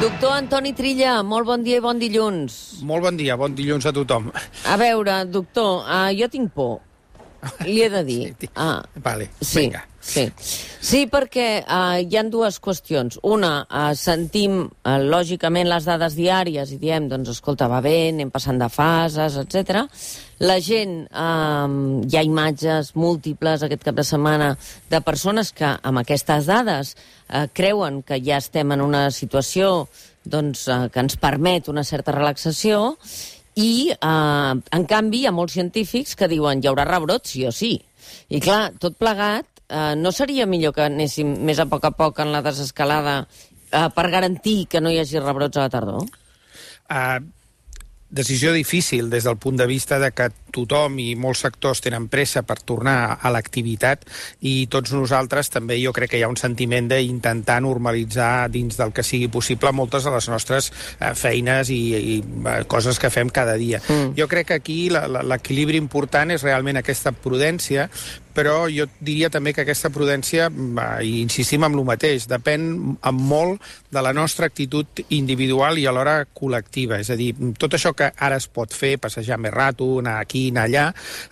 Doctor Antoni Trilla, molt bon dia i bon dilluns. Molt bon dia, bon dilluns a tothom. A veure, doctor, jo tinc por, li he de dir. Vale, sí, vinga. Sí, perquè hi ha dues qüestions. Una, sentim lògicament les dades diàries i diem, doncs, escolta, va bé, anem passant de fases, etc. La gent, hi ha imatges múltiples aquest cap de setmana de persones que amb aquestes dades creuen que ja estem en una situació doncs, que ens permet una certa relaxació i, en canvi, hi ha molts científics que diuen hi haurà rebrots sí o sí. I clar, tot plegat, no seria millor que anéssim més a poc en la desescalada per garantir que no hi hagi rebrots a la tardor? Decisió difícil des del punt de vista de que tothom i molts sectors tenen pressa per tornar a l'activitat i tots nosaltres també jo crec que hi ha un sentiment d'intentar normalitzar dins del que sigui possible moltes de les nostres feines i coses que fem cada dia. Jo crec que aquí l'equilibri important és realment aquesta prudència, però jo diria també que aquesta prudència, i insistim en el mateix, depèn molt de la nostra actitud individual i alhora col·lectiva. És a dir, tot això que ara es pot fer, passejar més rato, anar aquí, anar allà,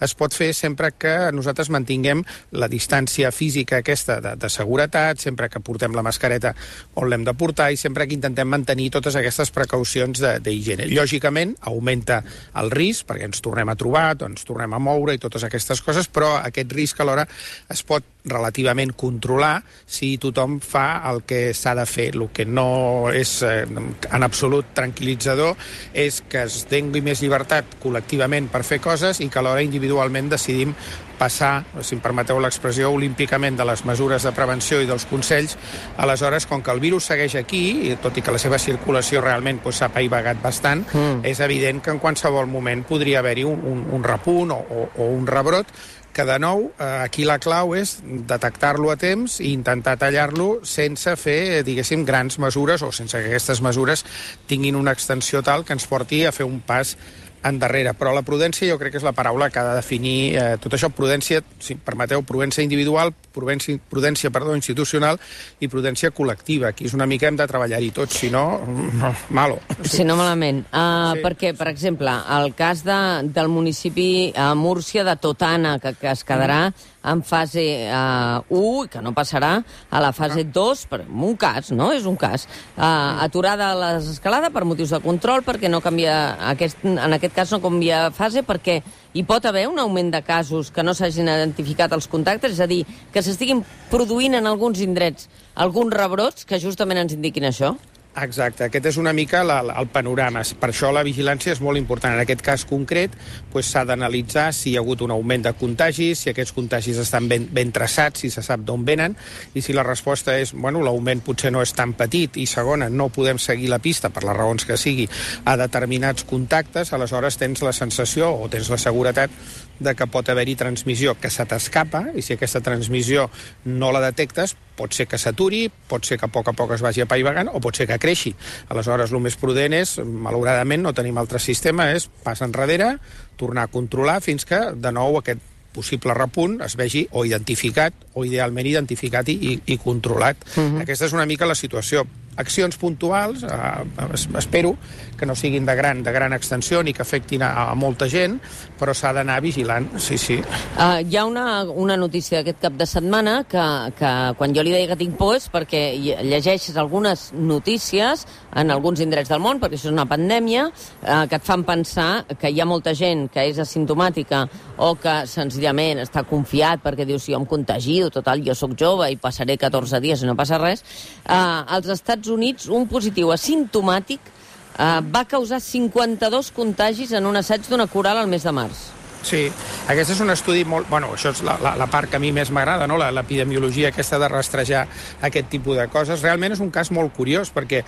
es pot fer sempre que nosaltres mantinguem la distància física aquesta de seguretat, sempre que portem la mascareta on l'hem de portar i sempre que intentem mantenir totes aquestes precaucions d'higiene. Lògicament, augmenta el risc, perquè ens tornem a trobar, ens tornem a moure i totes aquestes coses, però aquest risc alhora es pot relativament controlar si tothom fa el que s'ha de fer. El que no és en absolut tranquil·litzador és que es dengui més llibertat col·lectivament per fer coses i que alhora individualment decidim passar, si em permeteu l'expressió, olímpicament de les mesures de prevenció i dels consells. Aleshores, com que el virus segueix aquí, i tot i que la seva circulació realment s'ha apaivagat bastant, és evident que en qualsevol moment podria haver-hi un repunt o un rebrot, que de nou, aquí la clau és detectar-lo a temps i intentar tallar-lo sense fer, diguéssim, grans mesures o sense que aquestes mesures tinguin una extensió tal que ens porti a fer un pas endarrere. Però la prudència jo crec que és la paraula que ha de definir tot això. Prudència, si em permeteu, prudència individual, prudència institucional i prudència col·lectiva. Aquí és una mica hem de treballar-hi tots, si no, malo. Si no, malament. Perquè, per exemple, el cas del municipi Múrcia de Totana, que es quedarà en fase 1, que no passarà a la fase 2, en un cas, no? És un cas. Aturada la desescalada per motius de control, perquè no canvia, en aquest cas no canvia fase, perquè hi pot haver un augment de casos que no s'hagin identificat els contactes, és a dir, que s'estiguin produint en alguns indrets alguns rebrots que justament ens indiquin això? Exacte, aquest és una mica el panorama. Per això la vigilància és molt important. En aquest cas concret s'ha d'analitzar si hi ha hagut un augment de contagis, si aquests contagis estan ben traçats, si se sap d'on venen, i si la resposta és, l'augment potser no és tan petit, i segona, no podem seguir la pista, per les raons que sigui, a determinats contactes, aleshores tens la sensació o tens la seguretat de que pot haver-hi transmissió que se t'escapa, i si aquesta transmissió no la detectes, pot ser que s'aturi, pot ser que a poc es vagi apaivagant, o pot ser que creixi. Aleshores, el més prudent és, malauradament, no tenim altre sistema, és pas enrere, tornar a controlar fins que, de nou, aquest possible repunt es vegi o identificat, o idealment identificat i controlat. Aquesta és una mica la situació. Accions puntuals, espero que no siguin de gran extensió ni que afectin a molta gent, però s'ha d'anar vigilant, sí. Hi ha una notícia d'aquest cap de setmana que quan jo li deia que tinc por és perquè llegeixes algunes notícies en alguns indrets del món, perquè això és una pandèmia, que et fan pensar que hi ha molta gent que és asimptomàtica o que senzillament està confiat perquè diu si jo em contagio, total, jo sóc jove i passaré 14 dies i no passa res. Als Estats Units, un positiu asimptomàtic va causar 52 contagis en un assaig d'una coral al mes de març. Sí, aquest és un estudi molt... això és la part que a mi més m'agrada, no? L'epidemiologia aquesta de rastrejar aquest tipus de coses. Realment és un cas molt curiós, perquè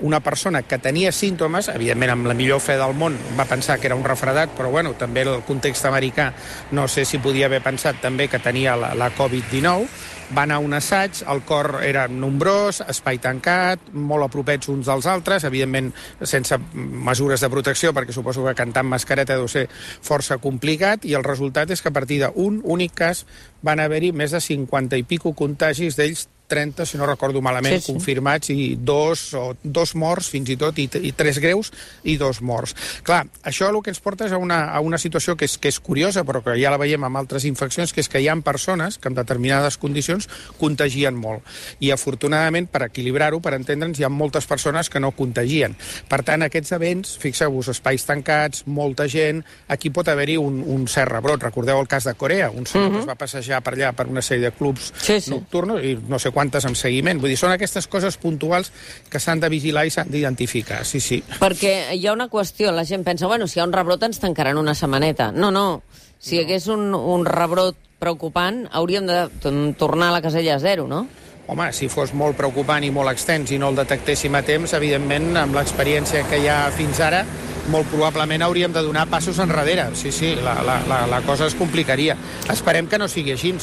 una persona que tenia símptomes, evidentment amb la millor fe del món, va pensar que era un refredat, però també el context americà no sé si podia haver pensat també que tenia la Covid-19, va anar a un assaig, el cor era nombrós, espai tancat, molt apropets uns dels altres, evidentment sense mesures de protecció, perquè suposo que cantar amb mascareta deu ser força complicat, i el resultat és que a partir d'un únic cas van haver-hi més de 50 i pico contagis, d'ells 30, si no recordo malament, confirmats, i dos morts, fins i tot, i 3 greus i 2 morts. Clar, això el que ens porta és a una situació que és curiosa, però que ja la veiem amb altres infeccions, que és que hi ha persones que en determinades condicions contagien molt. I afortunadament, per equilibrar-ho, per entendre'ns, hi ha moltes persones que no contagien. Per tant, aquests events, fixeu-vos, espais tancats, molta gent, aquí pot haver-hi un cert rebrot. Recordeu el cas de Corea, un senyor que es va passejar per allà per una sèrie de clubs nocturns i no sé quantes en seguiment. Vull dir, són aquestes coses puntuals que s'han de vigilar i s'han d'identificar, sí. Perquè hi ha una qüestió, la gent pensa, bueno, si hi ha un rebrot ens tancaran una setmaneta. No. Si hi hagués un rebrot preocupant, hauríem de tornar a la casella a 0, no? Home, si fos molt preocupant i molt extens i no el detectéssim a temps, evidentment, amb l'experiència que hi ha fins ara, molt probablement hauríem de donar passos enrere. Sí, la cosa es complicaria. Esperem que no sigui així,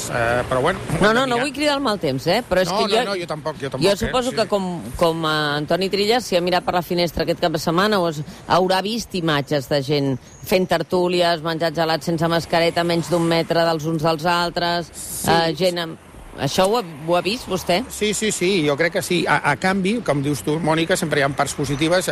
però bueno... No vull cridar el mal temps, però és que jo tampoc. Jo suposo que com Antoni Trillas, si ha mirat per la finestra aquest cap de setmana, haurà vist imatges de gent fent tertúlies, menjat gelat sense mascareta, menys d'1 metre dels uns dels altres, gent amb... Això ho ha vist, vostè? Sí, jo crec que sí. A canvi, com dius tu, Mònica, sempre hi ha parts positives.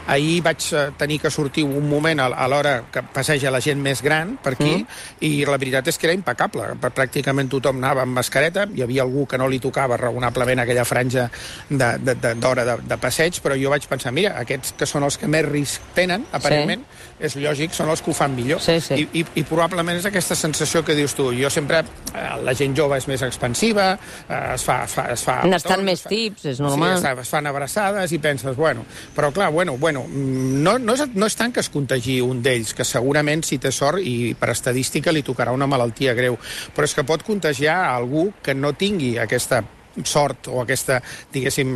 Ahir vaig tenir que sortir un moment a l'hora que passeja la gent més gran per aquí, i la veritat és que era impecable. Pràcticament tothom anava amb mascareta, hi havia algú que no li tocava raonablement aquella franja d'hora de passeig, però jo vaig pensar, mira, aquests que són els que més risc tenen, aparentment, és lògic, són els que ho fan millor. I probablement és aquesta sensació que dius tu. Jo sempre, la gent jove és més expansiva, es fa... N'estan més tips, és normal. Sí, es fan abraçades i penses, però clar, no és tant que es contagi un d'ells, que segurament si té sort i per estadística li tocarà una malaltia greu, però és que pot contagiar algú que no tingui aquesta sort o aquesta, diguéssim,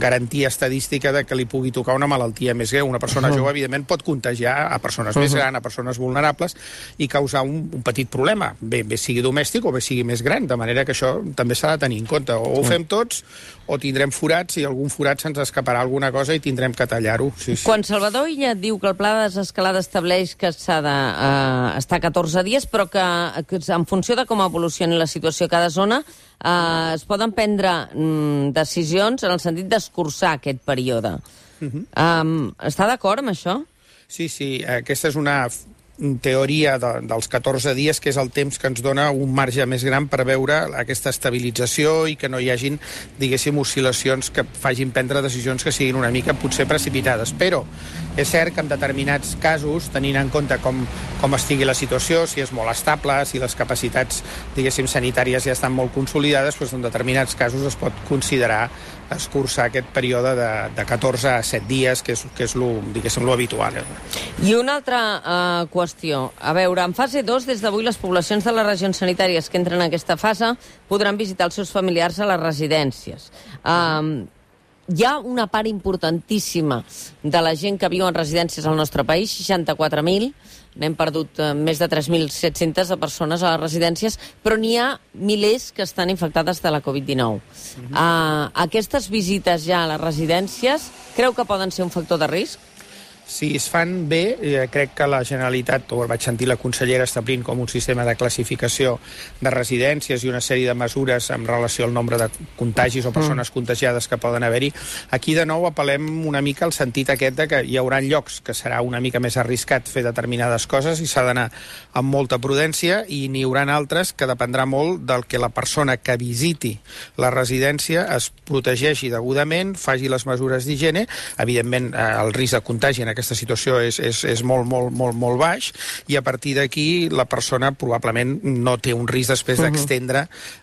garantia estadística de que li pugui tocar una malaltia més greu. Una persona jove, evidentment, pot contagiar a persones més grans, a persones vulnerables, i causar un petit problema, bé sigui domèstic o bé sigui més gran, de manera que això també s'ha de tenir en compte. O ho fem tots, o tindrem forats, i algun forat se'ns escaparà alguna cosa i tindrem que tallar-ho. Quan Salvador Illa diu que el pla de desescalada estableix que s'ha d'estar 14 dies, però que en funció de com evolucioni la situació a cada zona, es poden prendre decisions en el sentit d'escurçar aquest període. Està d'acord amb això? Sí, aquesta és una teoria dels 14 dies, que és el temps que ens dona un marge més gran per veure aquesta estabilització i que no hi hagin, diguéssim, oscil·lacions que facin prendre decisions que siguin una mica potser precipitades. Però és cert que en determinats casos, tenint en compte com estigui la situació, si és molt estable, si les capacitats, diguéssim, sanitàries ja estan molt consolidades, doncs en determinats casos es pot considerar escurçar aquest període de 14 a 7 dies, que és lo habitual. I una altra qüestió. A veure, en fase 2, des d'avui, les poblacions de les regions sanitàries que entren en aquesta fase podran visitar els seus familiars a les residències. Hi ha una part importantíssima de la gent que viu en residències al nostre país, 64.000, n'hem perdut més de 3.700 de persones a les residències, però n'hi ha milers que estan infectades de la Covid-19. Aquestes visites ja a les residències creu que poden ser un factor de risc? Si es fan bé, crec que la Generalitat, o vaig sentir la consellera establint com un sistema de classificació de residències i una sèrie de mesures en relació al nombre de contagis o persones contagiades que poden haver-hi. Aquí, de nou, apel·lem una mica al sentit aquest de que hi haurà llocs que serà una mica més arriscat fer determinades coses i s'ha d'anar amb molta prudència, i n'hi haurà altres que dependrà molt del que la persona que visiti la residència es protegeixi degudament, faci les mesures d'higiene. Evidentment, el risc de contagi en aquesta situació és molt baix, i a partir d'aquí la persona probablement no té un risc després d'extendre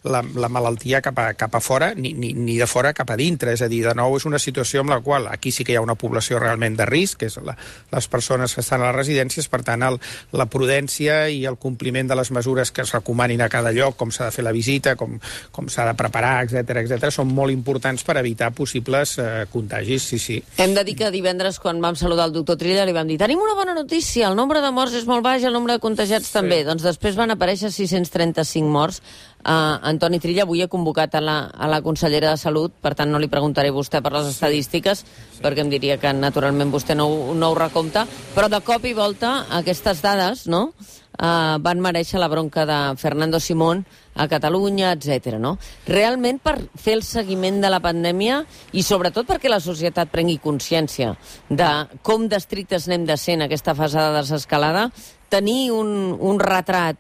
la malaltia cap a fora, ni de fora cap a dintre. És a dir, de nou, és una situació en la qual aquí sí que hi ha una població realment de risc, que és les persones que estan a les residències. Per tant, la prudència i el compliment de les mesures que es recomanin a cada lloc, com s'ha de fer la visita, com s'ha de preparar, etc., són molt importants per evitar possibles contagis, sí. Hem de dir que divendres, quan vam saludar el doctor Trilla, li vam dir, tenim una bona notícia, el nombre de morts és molt baix, el nombre de contagiats també. Doncs després van aparèixer 635 morts. Antoni Trilla, avui he convocat a la consellera de Salut, per tant no li preguntaré a vostè per les estadístiques, perquè em diria que naturalment vostè no ho recompta, però de cop i volta aquestes dades, no?, van mereixer la bronca de Fernando Simón a Catalunya, etc. No? Realment, per fer el seguiment de la pandèmia i sobretot perquè la societat prengui consciència de com d'estrictes anem de ser en aquesta fase de desescalada, tenir un retrat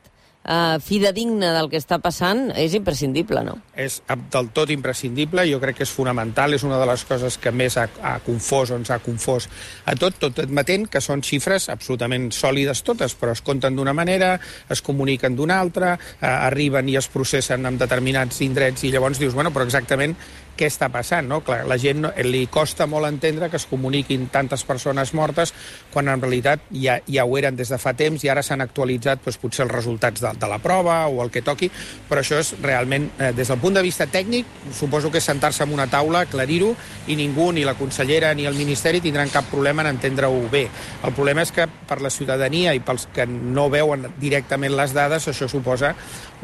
fidedigne del que està passant és imprescindible, no? És del tot imprescindible, jo crec que és fonamental, és una de les coses que més ha confós o ens ha confós a tot admetent que són xifres absolutament sòlides totes, però es compten d'una manera, es comuniquen d'una altra, arriben i es processen en determinats indrets i llavors dius, bueno, però exactament què està passant, no? Clar, la gent li costa molt entendre que es comuniquin tantes persones mortes quan en realitat ja ho eren des de fa temps i ara s'han actualitzat potser els resultats de la prova o el que toqui, però això és realment, des del punt de vista tècnic, suposo que és sentar-se en una taula, aclarir-ho, i ningú, ni la consellera ni el Ministeri tindran cap problema en entendre-ho bé. El problema és que per la ciutadania i pels que no veuen directament les dades, això suposa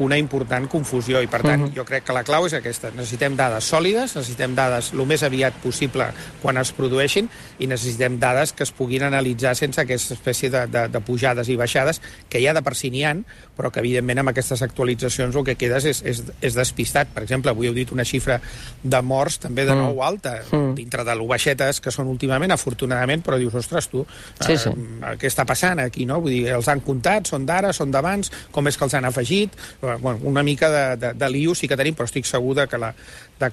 una important confusió i, per tant, jo crec que la clau és aquesta. Necessitem dades sòlides, necessitem dades el més aviat possible quan es produeixin i necessitem dades que es puguin analitzar sense aquesta espècie de pujades i baixades que ja de per si n'hi ha, però que evidentment amb aquestes actualitzacions el que quedes és despistat. Per exemple, avui heu dit una xifra de morts també de nou alta, dintre de lo baixetes que són últimament, afortunadament, però dius, ostres, tu, què està passant aquí, no? Vull dir, els han comptat, són d'ara, són d'abans, com és que els han afegit? Bueno, una mica de lío sí que tenim, però estic segur que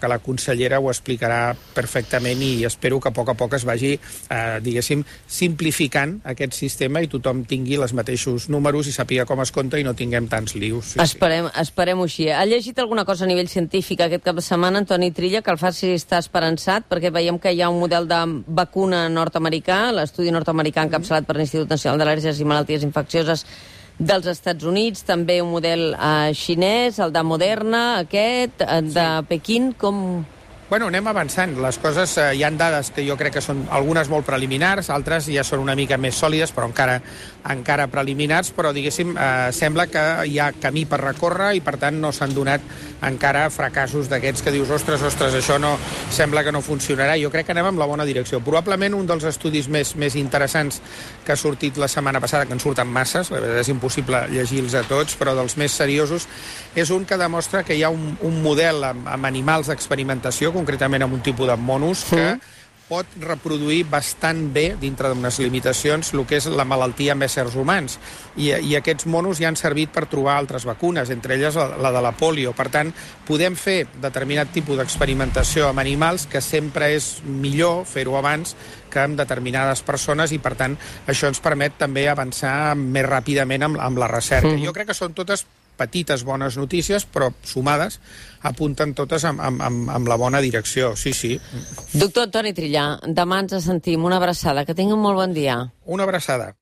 la consellera ho explicarà perfectament i espero que a poc es vagi, diguéssim, simplificant aquest sistema i tothom tingui els mateixos números i sàpiga com es compta i no tinguem tants lius. Esperem-ho així. Ha llegit alguna cosa a nivell científic aquest cap de setmana, Antoni Trilla, que el faci estar esperançat, perquè veiem que hi ha un model de vacuna nord-americà, l'estudi nord-americà encapçalat per l'Institut Nacional d'Al·lèrgies i Malalties Infeccioses dels Estats Units, també un model xinès, el de Moderna, aquest, de Pequín, com... Bueno, anem avançant. Les coses, hi han dades que jo crec que són algunes molt preliminars, altres ja són una mica més sòlides, però encara preliminars, però, diguéssim, sembla que hi ha camí per recórrer i, per tant, no s'han donat encara fracassos d'aquests que dius, ostres, això no sembla que no funcionarà. Jo crec que anem en la bona direcció. Probablement un dels estudis més interessants que ha sortit la setmana passada, que en surten masses, la veritat és impossible llegir-los a tots, però dels més seriosos, és un que demostra que hi ha un model amb animals d'experimentació, concretament amb un tipus de monos, que pot reproduir bastant bé, dintre d'unes limitacions, el que és la malaltia amb éssers humans. I aquests monos ja han servit per trobar altres vacunes, entre elles la de la polio. Per tant, podem fer determinat tipus d'experimentació amb animals que sempre és millor fer-ho abans que amb determinades persones i, per tant, això ens permet també avançar més ràpidament amb la recerca. Jo crec que són totes petites bones notícies, però sumades apunten totes amb la bona direcció, sí. Doctor Antoni Trillà, demà ens sentim. Una abraçada. Que tingui un molt bon dia. Una abraçada.